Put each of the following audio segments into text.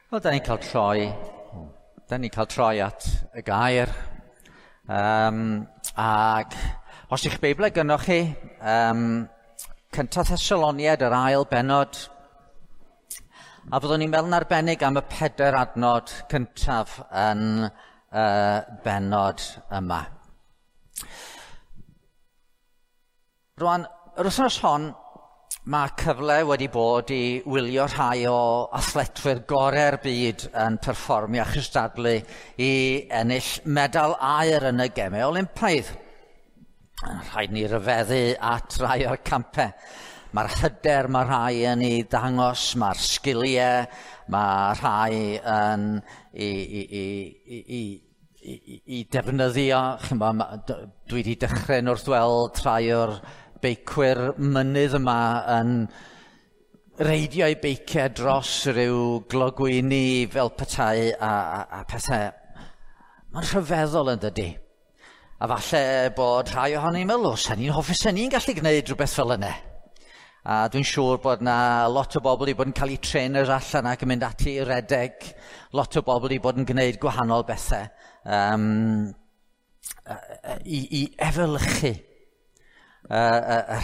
Wel, da ni'n cael troi, da ni'n cael troi at y gair. Ac os ych Beiblau gynnoch chi, cyntaf Thessaloniad, yr ail bennod, a fyddwn ni'n meddwl yn arbennig am y 4 adnod cyntaf yn y bennod yma. Rwan, yr wythnos hon, mae cyfle wedi bod i wylio rhai o athletwyr gorau'r byd yn perfformio a chystadlu i ennill medal aur yn y Gemau Olympaidd. Rhaid ni ryfeddu at rai o'r campau. Mae'r hyder mae rhai yn ei ddangos, mae'r sgiliau, mae rhai yn i defnyddio. Dwi wedi dechrau wrth weld rhai o'r beicwyr mynydd yma yn reidio eu beiciau dros ryw glogwyni fel petai a pethau. Mae'n rhyfeddol yn dydi. A falle bod rhai ohonyn ni'n meddwl, sa'n ni'n hoffi, sa'n ni'n gallu gwneud rhywbeth fel yna. A dwi'n siŵr bod na lot o bobl i bod yn cael eu trainers allan ac yn mynd ati i redeg. Lot o bobl i bod yn gwneud gwahanol bethau i efelychu y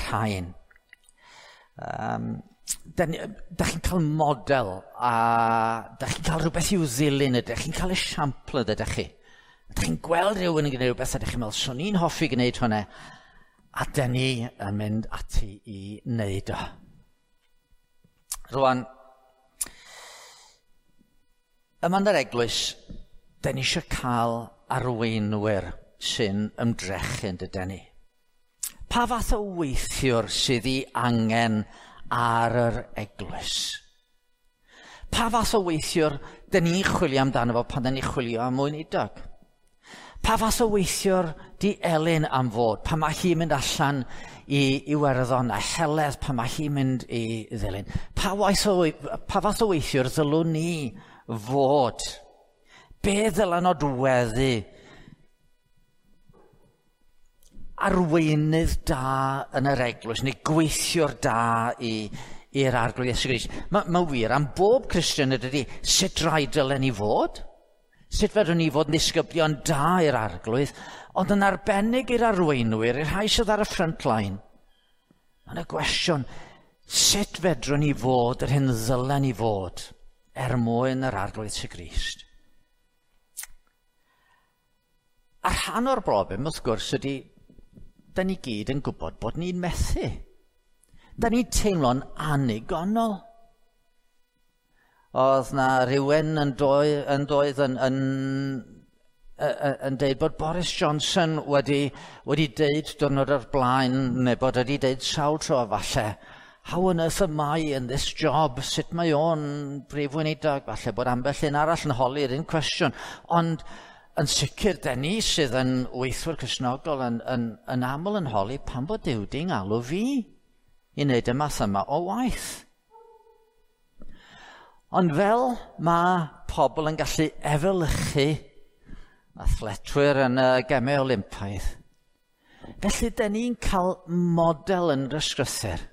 rhain. Da chi'n cael model a da chi'n cael rhywbeth i'w ddilyn, ydych chi'n cael esiampl ydych chi. Da chi'n gweld rhywun yn gwneud rhywbeth a ydych chi'n meddwl, swn i'n hoffi gwneud hwnna, a da ni yn mynd ati i wneud o. Rwan, yma yn yr eglwys, da ni eisiau cael arweinwyr sy'n ymdrechu yn dydyn ni. Pa fath o weithiwr sydd ei angen ar yr eglwys? Pa fath o weithiwr dyn ni'n chwilio amdano fo pan dyn ni'n chwilio am weinidog? Pa fath o weithiwr di Elin am fod pan mae hi'n mynd allan i Iwerddon a Heledd pan mae hi'n mynd i Ddulyn? Pa fath o weithiwr ddylwn ni fod? Be ddyla nodweddu arweinydd da yn yr eglwys, neu gweithiwr da i'r Arglwydd Iesu Grist? Mae wir am bob Cristion ydy, sut rai dylen ni fod? Sut fedrwn ni fod yn ddisgyblion da i'r Arglwydd, ond yn arbennig i'r arweinwyr, i'r rhai sydd ar y front line? Mae yna gwestiwn, sut fedrwn ni fod yr hyn ddylen ni fod er mwyn yr Arglwydd Iesu Grist? A rhan o'r broblem, wrth gwrs, ydy da ni gyd yn gwybod bod ni'n methu. Da ni'n teimlo'n annigonol. Oedd na rhywun yn deud bod Boris Johnson wedi deud diwrnod o'r blaen, neu bod wedi deud sawl tro falle, how on earth am I in this job? Sut mae o'n brif weinidog? Falle bod ambell un arall yn holi'r un cwestiwn. Ond yn sicr, da ni sydd yn weithwyr Cristnogol yn aml yn holi pam bod Duw di'n galw fi i wneud y math yma o waith. Ond fel mae pobl yn gallu efelychu athletwyr yn y Gemau Olympaidd, felly da ni'n cael model yn yr ysgrythur,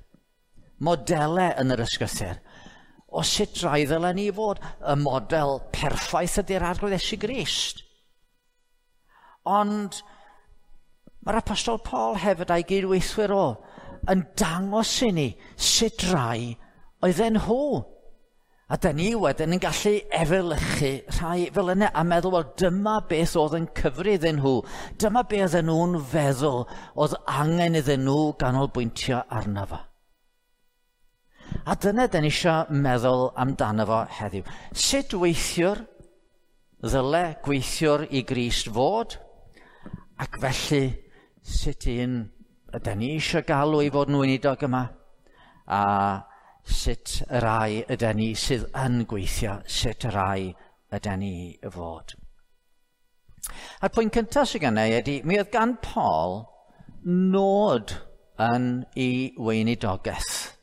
modelau yn yr ysgrythur, o sut rai ddylen ni fod. Y model perffaith ydy'r Arglwydd Iesu Grist. Ond mae'r Apostol Paul hefyd a'i gydweithwyr o yn dangos i ni sut rai oedden nhw. A da ni wedyn yn gallu efelychu rhai fel yna a meddwl, wel, dyma beth oedd yn cyfri iddyn nhw. Dyma beth oedden nhw'n feddwl oedd angen iddyn nhw ganolbwyntio arno fo. A dyna da ni eisiau meddwl amdano fo heddiw. Sut weithiwr ddyle gweithiwr i Grist fod? Ac felly, sut un ydy ni eisiau galw i fod yn weinidog yma? A sut y rai ydy ni sydd yn gweithio, sut y rai ydy ni fod? A'r pwynt cyntaf sydd gennau ydy, mi oedd gan Paul nod yn ei weinidogaeth.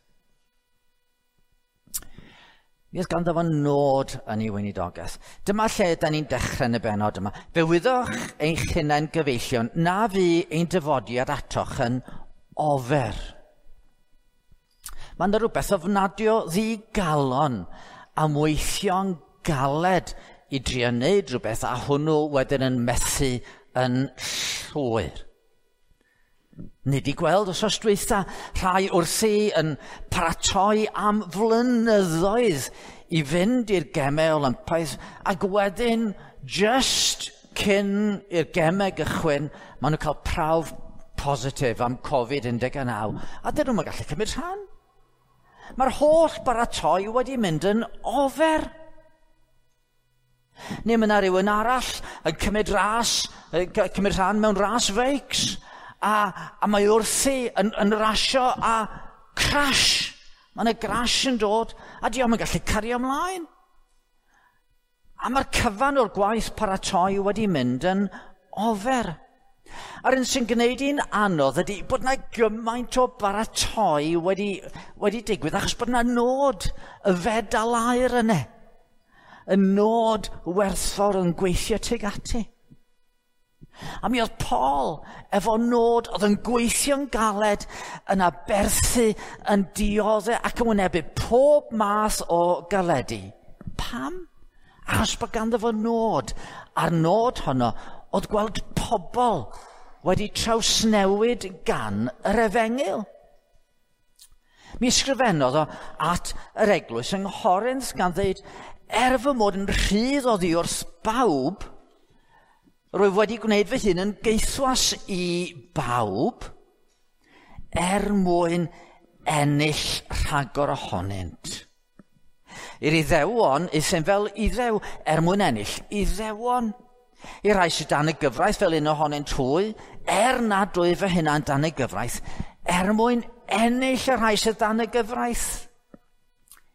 Mi oedd ganddo fo nod yn ei weinidogaeth. Dyma lle da ni'n dechrau yn y bennod yma. Fe wyddoch eich hunain gyfeillion na fu ein dyfodiad atoch yn ofer. Mae yna rhywbeth ofnadwy o ddigalon am weithio'n galed i drio wneud rhywbeth a hwnnw wedyn yn methu yn llwyr. Ni 'di gweld wythnos dwytha rhai wrthi yn paratoi am flynyddoedd i fynd i'r Gemau Olympaidd, ac wedyn just cyn i'r gemau gychwyn, maen nhw'n cael prawf positif am Covid-19, a dyn nhw'n gallu cymryd rhan. Mae'r holl baratoi wedi mynd yn ofer. Neu mae yna rhywun arall yn cymryd ras, cymryd rhan mewn ras feics, a mae wrthi yn rasio a crash. Mae yna crash yn dod, a di o'm yn gallu cario ymlaen. A mae'r cyfan o'r gwaith paratoi wedi mynd yn ofer. A'r un sy'n gwneud hi'n anodd ydy bod yna gymaint o baratoi wedi digwydd, achos bod yna nod y fedal aur yna. Y nod werthfawr yn gweithio tuag ati. A mi oedd Paul efo nod oedd yn gweithio'n galed, yn aberthu, yn dioddef ac yn wynebu pob math o galedu. Pam? Achos bod ganddo fo nod. A'r nod honno oedd gweld pobl wedi trawsnewid gan yr efengyl. Mi ysgrifennodd o at yr eglwys yng Nghorinth gan ddeud, er fy mod yn rhydd oddi wrth bawb, rwyf wedi gwneud fy hun yn gaethwas i bawb er mwyn ennill rhagor ohonynt. I'r Iddewon, euthum fel Iddew er mwyn ennill Iddewon. I'r rhai sydd dan y gyfraith fel un ohonynt hwy, er nad wyf fy hunan dan y gyfraith, er mwyn ennill y rhai sydd dan y gyfraith.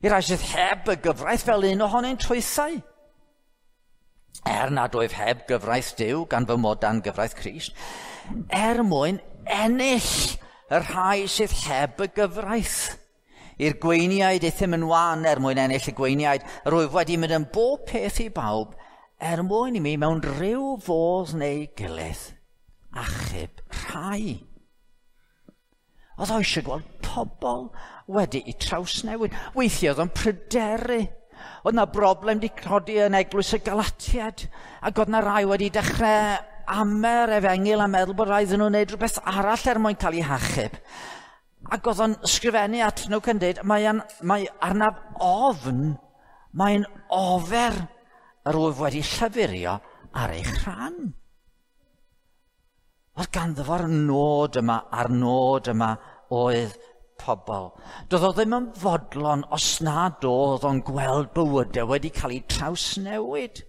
I'r rhai sydd heb y gyfraith fel un ohonynt hwythau. Er nad wyf heb gyfraith Duw, gan fy mod dan gyfraith Crist, er mwyn ennill y rhai sydd heb y gyfraith. I'r gweiniaid euthum yn wan er mwyn ennill y gweiniaid, rwyf wedi mynd yn bob peth i bawb, er mwyn i mi mewn rhyw fodd neu gilydd achub rhai. Oedd o eisiau gweld pobl wedi'u trawsnewid. Weithiau oedd o'n pryderu. Oedd na broblem wedi codi yn eglwys y Galatiaid, ac oedd na rai wedi dechrau amer efengyl a meddwl bod rhaid iddyn nhw wneud rhywbeth arall er mwyn cael eu hachub. Ac oedd o'n sgrifennu at nhw cyn dweud, mae arnaf ofn, mae'n ofer yr wyf wedi llyfurio ar eich rhan. Oedd ganddo fo'r nod yma, a'r nod yma oedd pobl. Doedd o ddim yn fodlon os nad oedd o'n gweld bywydau wedi cael eu trawsnewid.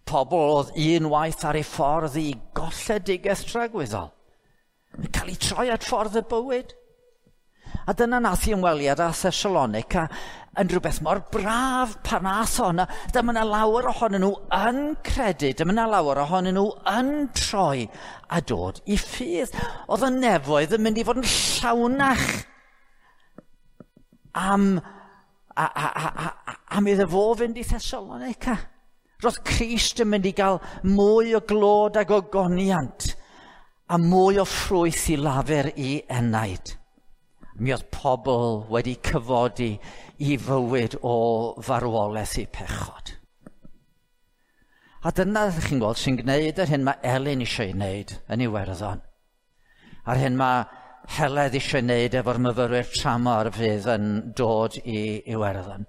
Pobl oedd unwaith ar ei ffordd i golledigaeth tragwyddol, yn cael eu troi at ffordd y bywyd. A dyna nath i ymweliad â Thessalonica yn rhywbeth mor braf pan ath o yna. Dyma yna lawer ohonyn nhw yn credu, dyma yna lawer ohonyn nhw yn troi a dod i ffydd. Oedd y nefoedd yn mynd i fod yn llawnach am iddo fo fynd i Thessalonica. Roedd Crist yn mynd i gael mwy o glod ag ogoniant a mwy o ffrwyth i lafur i enaid. Mi oedd pobl wedi cyfodi i fywyd o farwolaeth i pechod. A dyna, chi'n gweld, sy'n gwneud yr hyn mae Elin eisiau ei wneud yn Iwerddon. A'r hyn mae Heledd eisiau ei wneud efo'r myfyrwyr tramor fydd yn dod i Iwerddon.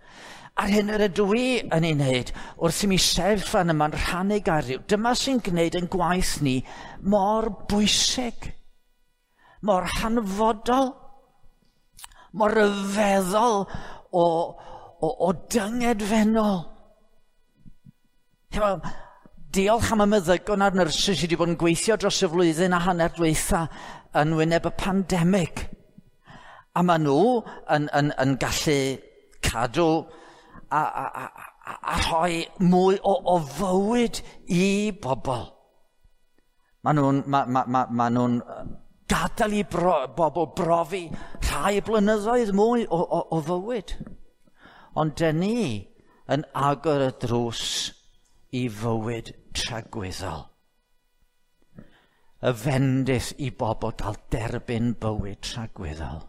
A'r hyn yr ydw i yn ei wneud wrth i mi sefyll fan yma'n rhannu gair Duw. Dyma sy'n gwneud yn gwaith ni mor bwysig, mor hanfodol, mor ryfeddol o dyngedfennol. Diolch am y meddygon a'r nyrsys sydd wedi bod yn gweithio dros y flwyddyn a hanner dwytha yn wyneb y pandemig. A maen nhw yn gallu cadw a rhoi mwy o fywyd i bobl. Maen nhw'n gadael i bobl brofi rhai blynyddoedd mwy o fywyd. Ond dyn ni yn agor y drws i fywyd tragwyddol. Y fendith i bobl gael derbyn bywyd tragwyddol.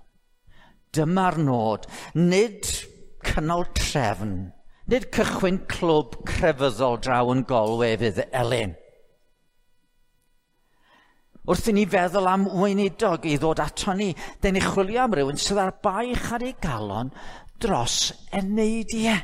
Dyma'r nod, nid cynnal trefn, Nid cychwyn clwb crefyddol draw yn Galway fydd Elin. Wrth i ni feddwl am weinidog i ddod ato ni, dyn ni chwilio am rywun sydd ar baich ar ei galon dros eneidiau.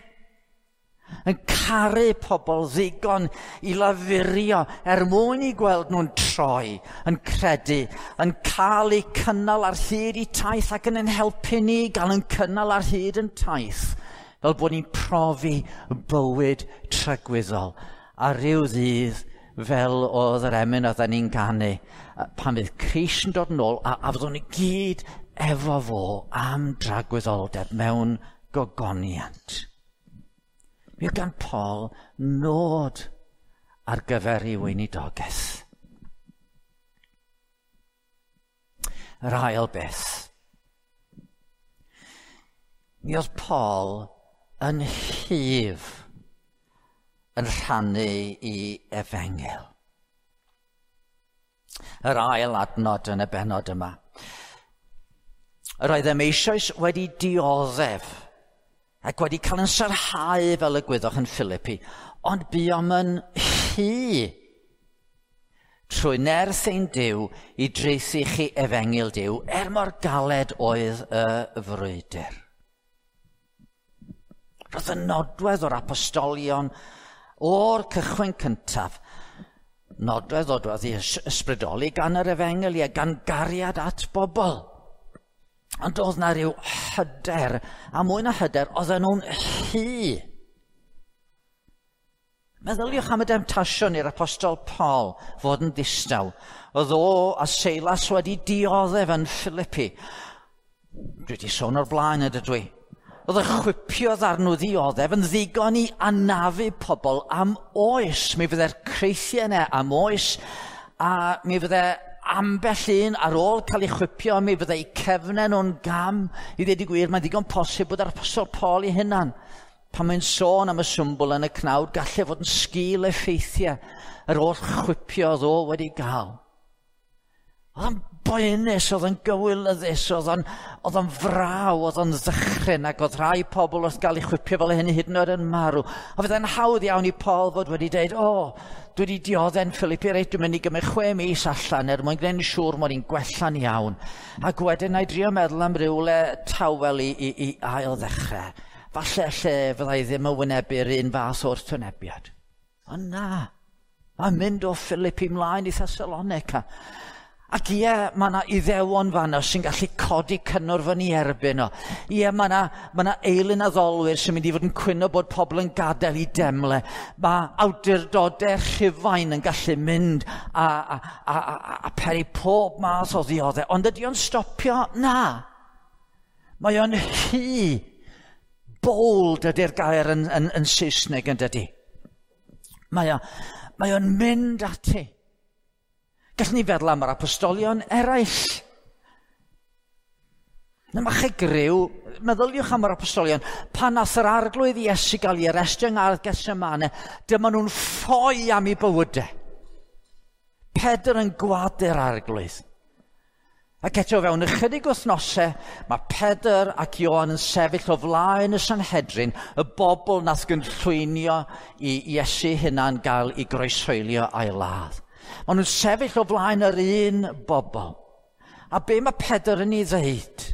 Yn caru pobl ddigon i lafurio er mwyn i gweld nhw'n troi, yn credu, yn cael eu cynnal ar hyd eu taith ac yn ein helpu ni gael yn cynnal ar hyd yn taith, fel bod ni'n profi bywyd tragwyddol. A ryw ddydd, fel oedd yr emyn oedden ni'n ganu, pan fydd Crist yn dod yn ôl, a fyddwn ni gyd efo fo am dragwyddoldeb mewn gogoniant. Mi oedd gan Paul nod ar gyfer ei weinidogaeth. Yr ail beth. Mi oedd Paul yn hyf yn rhannu i efengyl. Yr ail adnod yn y bennod yma. Yr oeddem eisoes wedi dioddef ac wedi cael yn sarhau fel y gwyddoch yn Philippi, ond buom yn hy trwy nerth ein Duw i draethu chi efengyl Duw, er mor galed oedd y frwydr. Roedd y nodwedd o'r apostolion o'r cychwyn cyntaf, nodwedd oedd ei ysbrydoli gan yr efengyl, ie, gan gariad at bobl. Ond oedd na ryw hyder, a mwy na hyder, oedden nhw'n hy. Meddyliwch am y demtasiwn i'r apostol Paul fod yn ddistaw. Oedd o a Seilas wedi dioddef yn Philippi. Dwi wedi sôn o'r blaen ydw i. Oedd y chwipio ddarn nhw ddioddef yn ddigon i anafu pobl am oes. Mi fydde'r creithiau yna am oes, a mi fydde ambell un ar ôl cael ei chwipio, mi fydde eu cefnau nhw'n gam. I ddweud y gwir, mae'n ddigon posib bod yr apostol Paul ei hunan, pan mae'n sôn am y symbol yn y cnawd, gallai fod yn sgil effeithiau yr oll chwipio oedd o wedi gael. Oedd o'n boenus, oedd o'n gywilyddus, oedd o'n fraw, oedd o'n ddychryn, ac oedd rhai pobl wrth gael eu chwipio fel hyn hyd yn oed yn marw. A fyddai'n hawdd iawn i Paul fod wedi dweud, o, dwi wedi dioddef'n Philippi, reit, dwi'n mynd i gymryd 6 mis allan er mwyn gwneud yn siŵr mod i'n gwella'n iawn. Ac wedyn na i drio meddwl am rywle tawel i ail ddechrau. Falle lle fyddai ddim yn wynebu'r un fath o'r wrthwynebiad. Ond na, mae'n mynd o Philippi mlaen i Thessalonica. Ac ie, mae yna iddewon fanno sy'n gallu codi cynnwrf yn ei erbyn o. Ie, mae yna eilun addolwyr sy'n mynd i fod yn cwyno bod pobl yn gadael i demle. Mae awdurdodau Rhufain yn gallu mynd a peri pob math o ddioddef. Ond ydy o'n stopio? Na. Mae o'n hy. Bold ydy'r gair yn Saesneg yn dydy. Mae o'n mynd ati. Gallwn ni feddwl am yr apostolion eraill. Na chi griw, meddyliwch am yr apostolion. Pan nath yr arglwydd Iesu gael ei arestio yng Ngardd Gethsemane, dyma nhw'n ffoi am eu bywydau. Pedr yn gwadu'r arglwydd. Ac eto fewn ychydig wythnosau, mae Pedr ac Ioan yn sefyll o flaen y Sanhedrin, y bobl nath gynllwynio i Iesu hunan gael ei groeshoelio a'i ladd. Maen nhw'n sefyll o flaen yr un bobl. A be mae Pedr yn ei ddeud?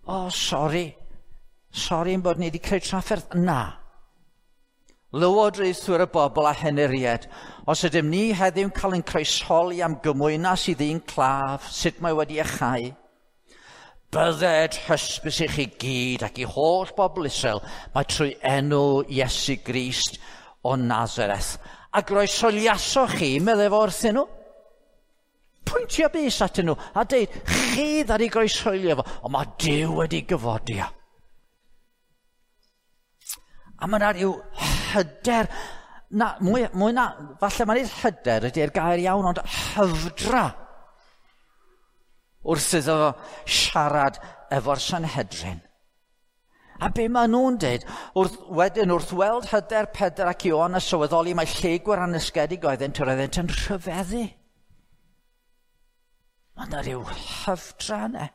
O, sori. Sori yn bod ni wedi creu trafferth. Na. Lywodraethwyr y bobl a henuried, os ydym ni heddiw'n cael ein croesholi am gymwynas i ddyn claf, sut mae wedi achau, bydded hysbys i chi gyd ac i holl bobl Israel, mae trwy enw Iesu Grist o Nazareth. A groesholiasoch chi, meddai fo wrthyn nhw. Pwyntio bys atyn nhw a deud, chi ddaru groeshoelio fo, ond mae Duw wedi gyfodi o. A mae yna rhyw hyder, na, mwy na, falle mae'n nid hyder ydy'r gair iawn, ond hyfdra wrth iddo fo siarad efo'r Sanhedrin. A be maen nhw'n dweud, wrth weld hyder Pedr ac Ioan a sylweddoli mae lleygwyr anesgedig oeddent, yr oeddent yn rhyfeddu. Mae yna rhyw hyfdra yna.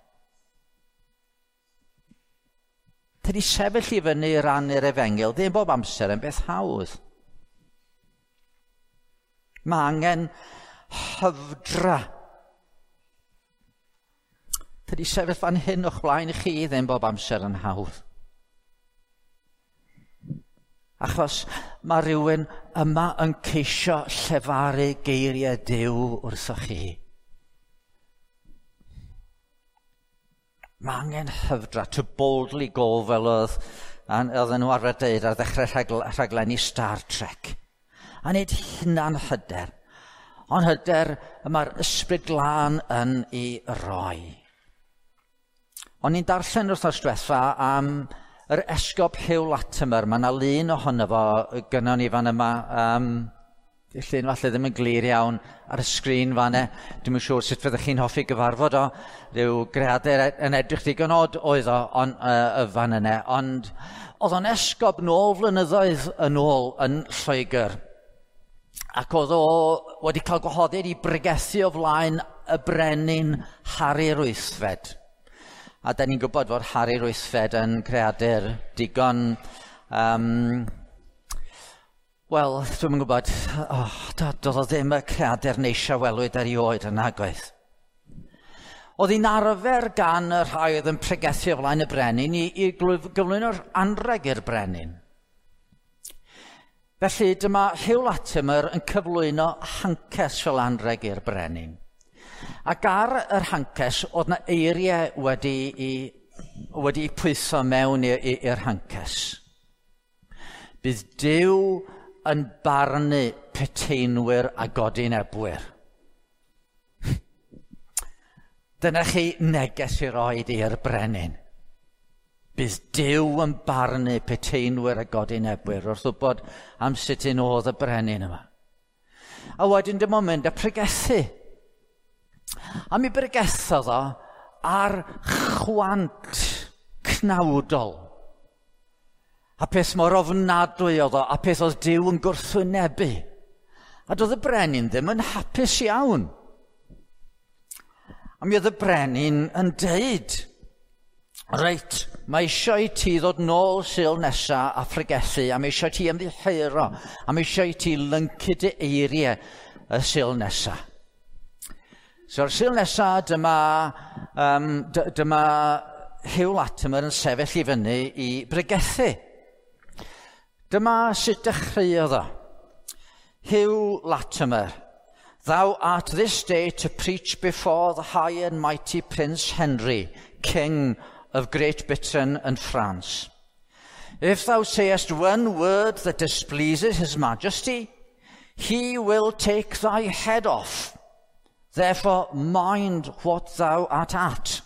Tydi sefyll i fyny i rannu'r efengyl ddim bob amser yn beth hawdd. Mae angen hyfdra. Tydi sefyll fan hyn o'ch blaen chi ddim bob amser yn hawdd. Achos mae rhywun yma yn ceisio llefaru geiriau Duw wrthoch chi. Mae angen hyfdra, to boldly go, fel oedd oedden nhw arfer dweud ar ddechrau rhaglenni Star Trek. A nid hunan hyder, ond hyder y mae'r Ysbryd Glân yn ei roi. O'n i'n darllen wythnos diwetha am yr esgob Hugh Latimer. Mae yna lun ohono fo gynnon ni fan yma. Llun falle ddim yn glir iawn ar y sgrin fan e. Dwi'm yn siŵr sut fyddech chi'n hoffi gyfarfod o. Rhyw greadur yn edrych digon od oedd o on, y fan yna. Ond oedd o'n esgob nôl flynyddoedd yn ôl yn Lloegr. Ac oedd o wedi cael gwahoddiad i bregethu o flaen y brenin Harri'r Wythfed. A da ni'n gwybod fod Harri'r Wythfed yn creadur digon... Wel, dwi'm yn gwybod, doedd o ddim y creadur neisia welwyd erioed yn nagoedd. Oedd hi'n arfer gan y rhai oedd yn pregethu o flaen y brenin i gyflwyno'r anrheg i'r brenin. Felly dyma Hugh Latimer yn cyflwyno hances fel anrheg i'r brenin. Ac ar yr hances oedd na eiriau wedi pwytho mewn i'r hances. Bydd Duw yn barnu peteinwyr a godinebwyr. Dyna chi neges i roed i'r brenin. Bydd Duw yn barnu peteinwyr a godinebwyr wrth wybod am sut un oedd y brenin yma. A wedyn dim ond mynd a pregethu. A mi bregethodd o ar chwant cnawdol. A peth mor ofnadwy oedd o, a peth oedd Duw yn gwrthwynebu. A doedd y brenin ddim yn hapus iawn. A mi oedd y brenin yn deud, reit, mae eisiau i ti ddod nôl Sul nesa a phregethu, a mae eisiau i ti ymddiheuro, a mae eisiau i ti lyncu dy eiriau y Sul nesa. So'r Sul nesa, dyma Hugh Latimer yn sefyll i fyny i bregethu. Dyma sut dechreuodd o. Hugh Latimer, thou art this day to preach before the high and mighty Prince Henry, King of Great Britain and France. If thou sayest one word that displeases his majesty, he will take thy head off. Therefore, mind what thou art at.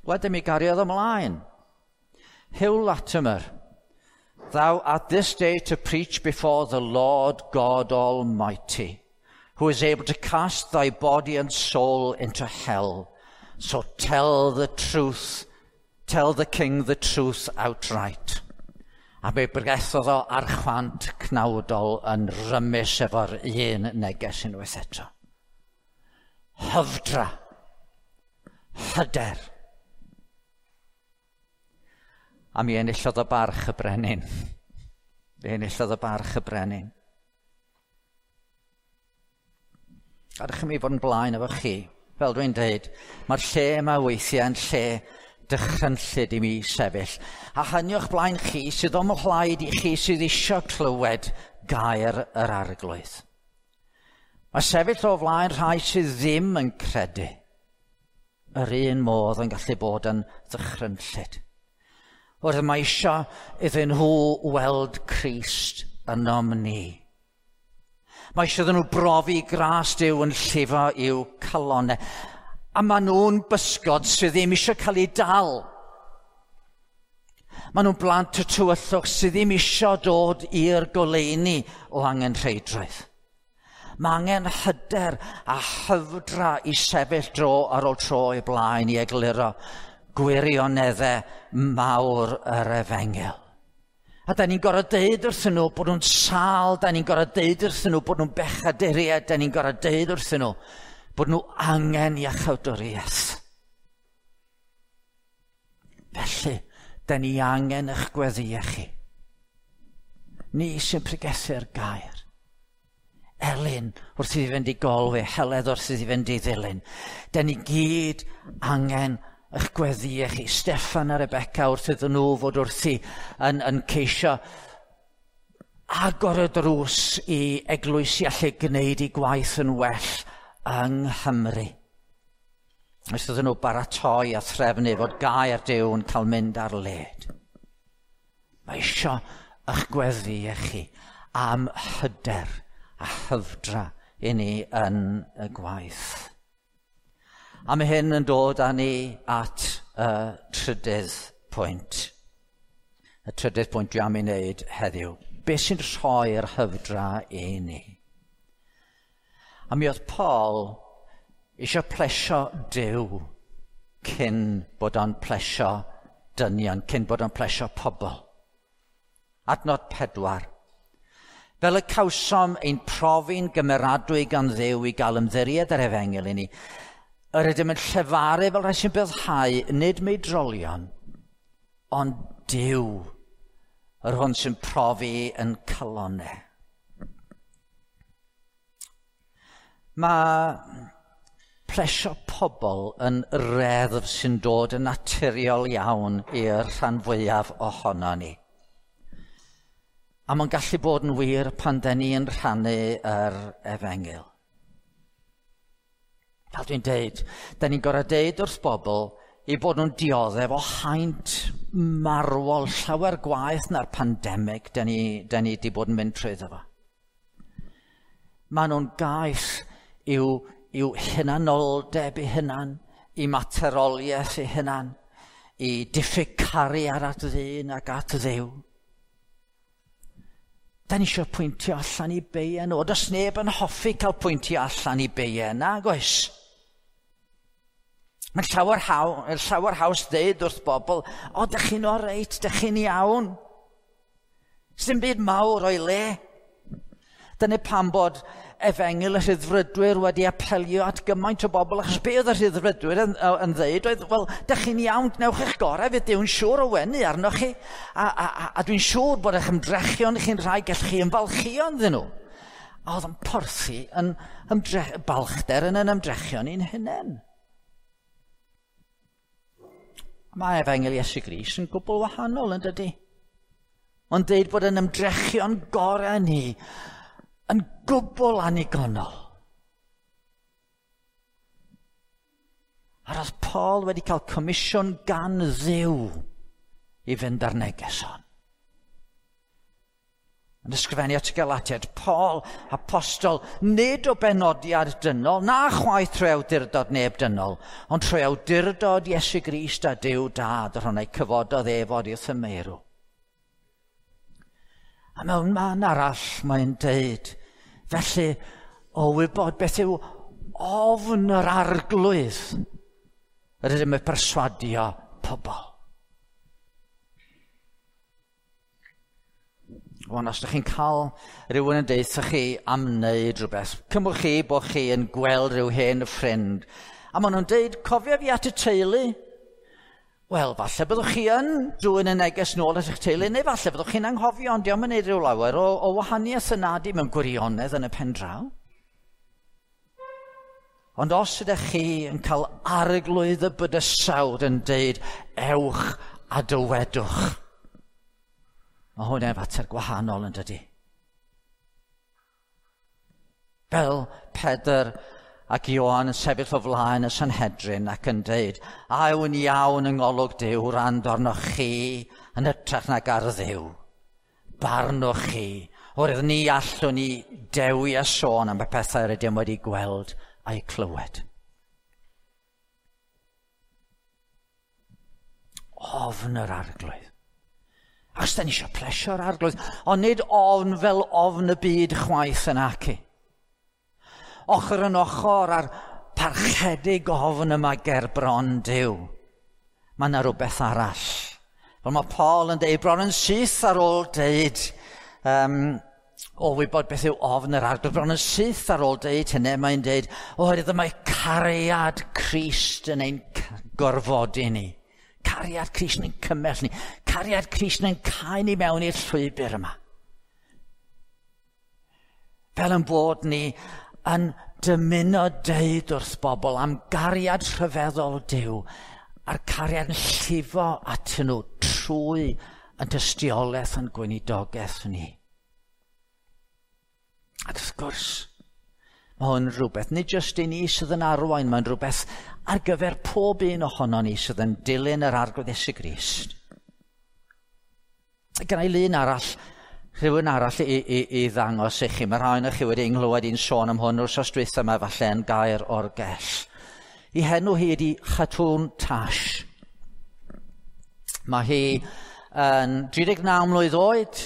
Wedyn mi gariodd ymlaen. Hugh Latimer, thou art this day to preach before the Lord God Almighty, who is able to cast thy body and soul into hell. So tell the truth, tell the king the truth outright. A mi bregethodd o ar chwant cnawdol yn rymus efo'r un neges unwaith eto. Hyfdra. Hyder. A mi enillodd o barch y brenin. Mi enillodd o barch y brenin. Gadewch i mi fod yn blaen efo chi. Fel dwi'n dweud, mae'r lle yma weithiau yn lle dychrynllyd i mi sefyll. A hynny o'ch blaen chi sydd o'm mhlaid i chi sydd eisiau clywed gair yr Arglwydd. Mae sefyll o flaen rhai sydd ddim yn credu yr un modd yn gallu bod yn ddychrynllyd. Wrth mae eisiau iddyn nhw weld Crist ynom ni. Mae eisiau iddyn nhw brofi gras Duw yn llifo i'w calonnau. A maen nhw'n bysgod sydd ddim eisiau cael eu dal. Maen nhw'n blant y tywyllwch sydd ddim eisiau dod i'r goleuni o angenrheidrwydd. Mae angen hyder a hyfdra i sefyll dro ar ôl tro i blaen i egluro gwirioneddau mawr yr efengyl. A da ni'n gorfod deud wrthyn nhw bod nhw'n sâl, da ni'n gorfod deud wrthyn nhw bod nhw'n bechaduriaid, da ni'n gorfod deud wrthyn nhw bod nhw angen iachawdwriaeth. Felly, da ni angen eich gweddïau chi. Ni sy'n pregethu'r gair. Elin wrth iddi fynd i Golwe, Heledd wrth iddi fynd i Ddilyn. Da ni gyd angen eich gweddïau chi. Steffan a Rebecca wrth iddyn nhw fod wrthi yn ceisio agor y drws i eglwysi allu gwneud eu gwaith yn well yng Nghymru. Wrth iddyn nhw baratoi a threfnu fod gair Duw yn cael mynd ar led. Mae isio eich gweddïau chi am hyder a hyfdra i ni yn y gwaith. A mae hyn yn dod â ni at y trydydd pwynt. Y trydydd pwynt dwi am ei wneud heddiw. Be sy'n rhoi'r hyfdra i ni? A mi oedd Paul eisiau plesio Duw cyn bod o'n plesio dynion, cyn bod o'n plesio pobl. Adnod 4. Fel y cawsom ein profi'n gymeradwy gan Dduw i gael ymddiried yr efengyl i ni, yr ydym yn llefaru fel rhai sy'n byddhau, nid meidrolion, ond Duw, yr hwn sy'n profi yn calonau. Mae plesio pobl yn reddf sy'n dod yn naturiol iawn i'r rhan fwyaf ohono ni. A mae'n gallu bod yn wir pan den ni yn rhannu yr efengyl. Fel dwi'n deud, den ni'n gorfod deud wrth bobl i bod nhw'n dioddef o haint marwol llawer gwaeth na'r pandemig den ni wedi bod yn mynd trwyddo fo. Maen nhw'n gaeth i'w hunanoldeb eu hunan, i materoliaeth eu hunan, i diffyg cariad at ddyn ac at Dduw. Da ni eisiau pwyntio allan i beia nhw. Does neb yn hoffi cael pwyntio allan i beia, nag oes? Mae'n llawer haws ddeud wrth bobl, o, dych chi'n oreit, dych chi'n iawn. Sdim byd mawr o'i le. Dyna pam bod efengyl y rhyddfrydwyr wedi apelio at gymaint o bobl, achos be oedd y rhyddfrydwyr yn ddeud oedd, wel, dych chi'n iawn, gwnewch eich gorau, fydd Duw'n siŵr o wenu arnoch chi, a dwi'n siŵr bod eich ymdrechion chi'n rhai gallwch chi ymfalchïo ynddyn nhw. A oedd yn porthi yn balchder yn yn ymdrechion i'n hunain. Mae efengyl Iesu Grist yn gwbl wahanol yn dydy. Ond deud bod yn ymdrechion gorau ni yn gwbl annigonol. A roedd Paul wedi cael comisiwn gan Dduw i fynd ar neges hon. Yn ysgrifennu at y Galatiaid, Paul, apostol, nid o benodiad dynol, na chwaith trwy awdurdod neb dynol, ond trwy awdurdod Iesu Grist a Duw Dad, yr hwn a'i cyfododd ef oddi wrth y meirw. A mewn man arall mae'n deud, felly, o wybod beth yw ofn yr arglwydd, yr ydym yn perswadio pobl. Wan, os ydych chi'n cael rhywun yn deud wrthych chi am wneud rhywbeth, cymwch chi bod chi yn gweld rhyw hen ffrind, a maen nhw'n deud, cofio fi at y teulu. Wel, falle byddwch chi yn dwyn y neges nôl at eich teulu, neu falle byddwch chi'n anghofio, ond dio'm yn neud rhyw lawer o wahaniaeth yna di mewn gwirionedd yn y pen draw. Ond os ydych chi yn cael arglwydd y bydysawd yn deud, ewch a dywedwch, mae hwnna'n fater gwahanol yn dydy. Fel Pedr ac Ioan yn sefyll o flaen y Sanhedrin ac yn deud, a yw'n iawn yng ngolwg Duw wrando arnoch chi yn hytrach nag ar Dduw. Barnwch chi, oherwydd ni allwn ni dewi a sôn am y pethau rydym wedi gweld a'u clywed. Ofn yr arglwydd. Achos da ni eisiau plesio'r arglwydd, ond nid ofn fel ofn y byd chwaith yn acu. Ochr yn ochr a'r parchedig ofn yma ger bron Duw. Mae yna rhywbeth arall. Fel mae Paul yn deud, bron yn syth ar ôl deud, o wybod beth yw ofn yr arglwydd, bron yn syth ar ôl deud hynny, mae'n deud, oherwydd mae cariad Crist yn ein gorfodi ni. Cariad Crist yn cymell ni. Cariad Crist yn cael ni mewn i'r llwybr yma. Fel yn bod ni yn dymuno deud wrth bobl am gariad rhyfeddol Duw a'r cariad yn llifo atyn nhw trwy yn tystiolaeth yn gweinidogaeth ni. Ac wrth gwrs, mae hwn rhywbeth, nid jyst i ni sydd yn arwain, mae'n rhywbeth ar gyfer pob un ohono ni sydd yn dilyn yr Arglwydd Iesu Grist. Gen i lun arall, rhywun arall i ddangos i chi. Mae rhai ohonoch chi wedi nghlywed i'n sôn am hwn wrth dwytha yma falle yn gair o'r gell. Ei henw hi ydi Khatun Tash. Mae hi yn 39 mlwydd oed.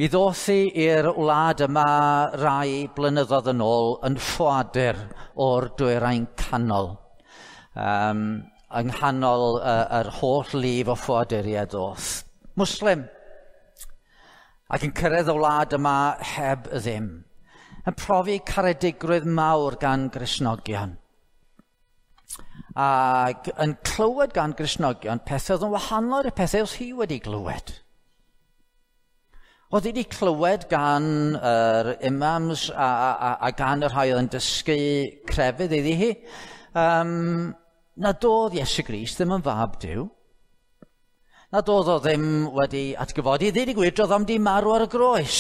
Mi ddoth hi i'r wlad yma rai blynyddoedd yn ôl yn ffoadur o'r dwyrain canol. Yng nghanol yr holl lif o ffoaduriaid ddoth. Muslim. Ac yn cyrraedd y wlad yma heb ddim. Yn profi caredigrwydd mawr gan Gristnogion. Ac yn clywed gan Gristnogion pethau oedd yn wahanol i'r pethau oedd hi wedi glywed. Oedd hi wedi clywed gan yr imams a gan y rhai oedd yn dysgu crefydd iddi hi, nad oedd Iesu Grist ddim yn fab Duw, nad oedd o ddim wedi atgyfodi, ddeud y gwir, doedd o'm di marw ar y groes.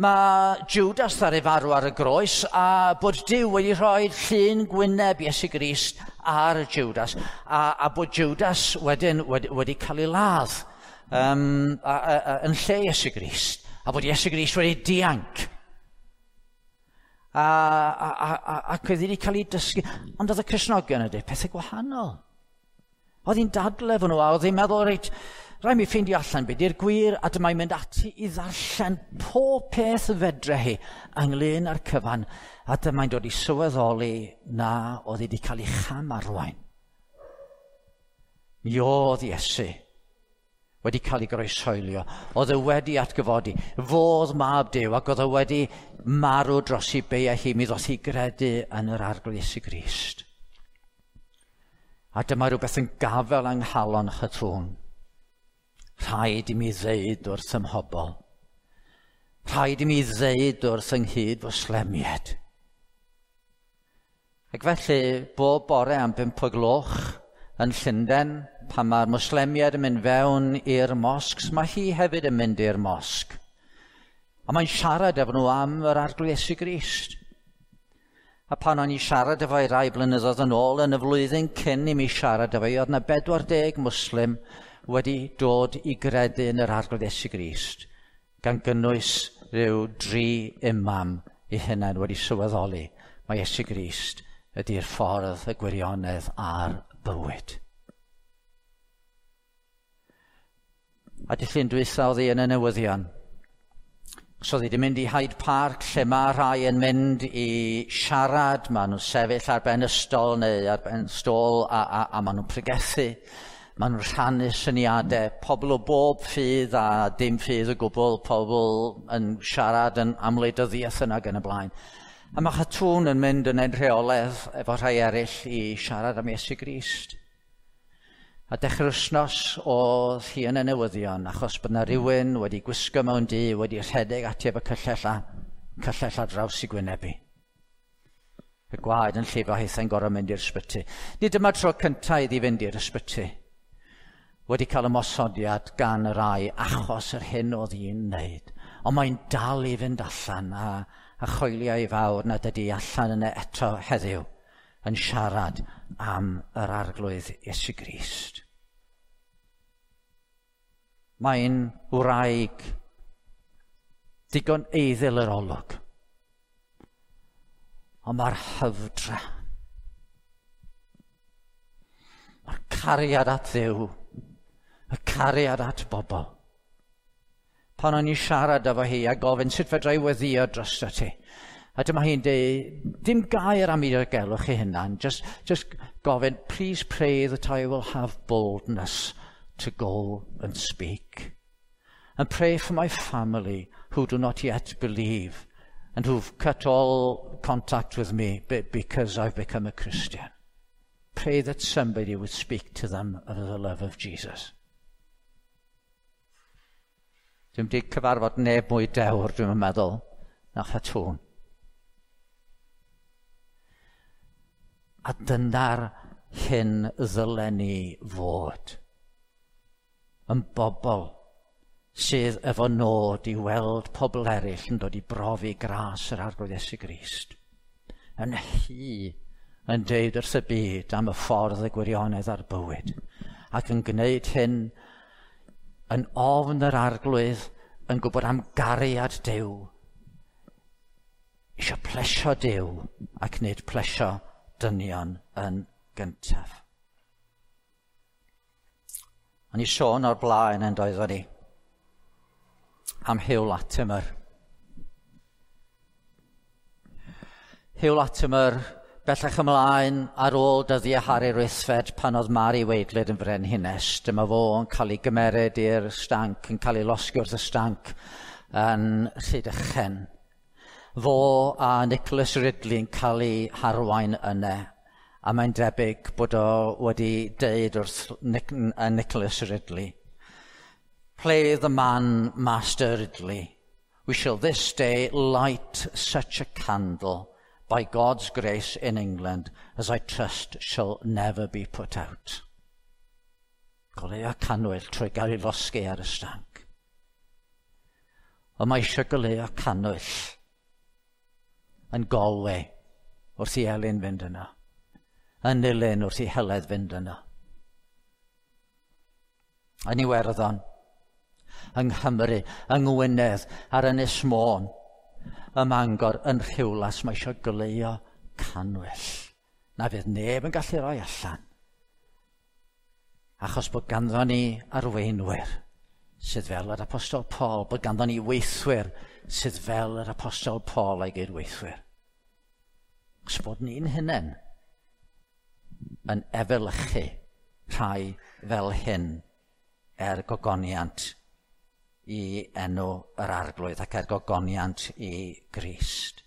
Mae Judas ddaru farw ar y groes a bod Duw wedi rhoi llun gwyneb Iesu Grist ar Judas a bod Judas wedyn wedi cael ei ladd yn lle Iesu Grist a bod Iesu Grist wedi dianc. Ac oedd wedi cael ei dysgu. Ond oedd y Cristnogion yn dweud pethau gwahanol. Oedd hi'n dadle efo nhw a oedd hi'n meddwl, reit, rhaid mi ffeindio allan beth yw'r gwir, a dyma'n mynd ati i ddarllen pob peth fedre hi ynglyn â'r cyfan, a dyma'n dod i sylweddoli na oedd hi wedi cael ei cham arwain. Mi oedd Iesu wedi cael ei groeshoelio, oedd e wedi atgyfodi, fodd mab Duw, ac oedd e wedi marw dros ei beiau hi, mi ddoth hi gredu yn yr Arglwydd Iesu Grist. A dyma rhywbeth yn gafel yng nghalon Khatun. Rhaid i mi ddeud wrth ym mhobl. Rhaid i mi ddeud wrth yng nghyd Fwslemiaid. Ac felly, bob bore am 5 o gloch yn Llundain, pan mae'r Mwslemiaid yn mynd fewn i'r mosgs, mae hi hefyd yn mynd i'r mosg. A mae'n siarad efo nhw am yr Arglwydd Iesu Grist. A pan o'n i siarad efo hi rai blynyddoedd yn ôl, yn y flwyddyn cyn i mi siarad efo hi, oedd yna 40 Muslim wedi dod i gredu yn yr Arglwydd Iesu Grist, gan gynnwys rhyw 3 imam eu hunain wedi sylweddoli mae Iesu Grist ydy'r ffordd, y gwirionedd a'r bywyd. A dydd Llun dwytha oedd hi yn y newyddion. So oedd hi wedi mynd i Hyde Park, lle mae rhai yn mynd i siarad, maen nhw'n sefyll ar ben ystol neu ar ben stôl a maen nhw'n pregethu. Maen nhw'n rhannu syniadau, pobl o bob ffydd a dim ffydd o gwbl, pobl yn siarad yn am wleidyddiaeth yna ac yn y blaen. A mae Khatun yn mynd yn ein rheolaidd efo rhai eraill i siarad am Iesu Grist. A dechrau'r wythnos oedd hi yn y newyddion, achos bod yna rhywun wedi gwisgo mewn du, wedi rhedeg ati efo cyllell ar draws i gwynebu. Y gwaed yn llifo, hithau'n gorfod mynd i'r ysbyty. Nid dyma'r tro cyntaf iddi fynd i'r ysbyty. Wedi cael ymosodiad gan y rai achos yr hyn oedd hi'n wneud. Ond mae'n dal i fynd allan a choelio i fawr nad ydy allan yna eto heddiw yn siarad am yr Arglwydd Iesu Grist. Mae'n wraig digon eiddil yr olwg, ond mae'r hyfdra, mae'r cariad at Dduw, y cariad at bobl. Pan o'n i siarad efo hi a gofyn sut fedra i weddïo drosto ti, a dyma hi'n dweud, dim gair am ei diogelwch ei hunan, just gofyn, please pray that I will have boldness to go and speak. And pray for my family who do not yet believe and who've cut all contact with me because I've become a Christian. Pray that somebody would speak to them of the love of Jesus. Dwi'm 'di cyfarfod neb mwy dewr, dwi'n meddwl, na Chatŵn. A dyna'r hyn ddylen ni fod. Yn bobl sydd efo nod i weld pobl eraill yn dod i brofi gras yr Arglwydd Iesu Grist. Yn hy yn deud wrth y byd am y ffordd y gwirionedd a'r bywyd. Ac yn gwneud hyn yn ofn yr Arglwydd, yn gwybod am gariad Duw. Eisiau plesio Duw ac nid plesio dynion yn gyntaf. O'n i sôn o'r blaen yn doeddwn ni am Hugh Latimer. Hugh Latimer bellach ymlaen ar ôl dyddiau Harri'r Wythfed pan oedd Mari Wadelyd yn frenhines. Dyma fo yn cael ei gymeryd i'r stanc, yn cael ei losgi wrth y stanc yn Rhydychen. Fo a Nicholas Ridley yn cael ei harwain yna. A mae'n debyg bod o wedi deud wrth Nicholas Ridley, "Play the man, Master Ridley. We shall this day light such a candle by God's grace in England as I trust shall never be put out." Goleuo cannwyll trwy gael ei losgi ar y stanc. Ond mae eisiau goleuo cannwyll yn Galway wrth i Elin fynd yno. Yn Nulyn wrth i Heledd fynd yno. Yn Iwerddon, yng Nghymru, yng Ngwynedd, ar Ynys Môn, ym Mangor, yn Rhiwlas, mae eisiau goleuo cannwyll. Na fydd neb yn gallu rhoi allan. Achos bod ganddo ni arweinwyr sydd fel yr Apostol Paul, bod ganddo ni weithwyr sydd fel yr Apostol Paul a'i gydweithwyr. Os bod ni'n hunain yn efelychu rhai fel hyn er gogoniant i enw yr Arglwydd ac er gogoniant i Grist.